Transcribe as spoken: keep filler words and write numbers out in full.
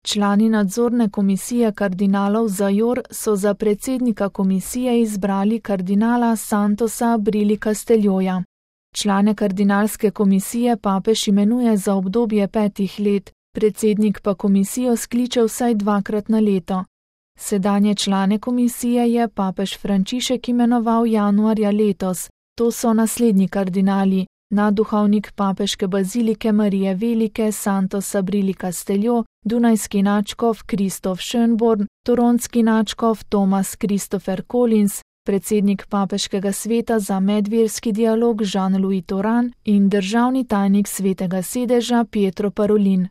Člani nadzorne komisije kardinalov za Jor so za predsednika komisije izbrali kardinala Santosa Abrili Casteljoja. Člane kardinalske komisije papež imenuje za obdobje petih let, predsednik pa komisijo skliče vsaj dvakrat na leto. Sedanje člane komisije je papež Frančišek imenoval januarja letos. To so naslednji kardinali: nadduhovnik papeške bazilike Marije Velike Santos Abrili Casteljo, dunajski nadškof Kristof Schönborn, toronski nadškof Thomas Christopher Collins, predsednik papeškega sveta za medverski dialog Jean-Louis Toran in državni tajnik svetega sedeža Pietro Parolin.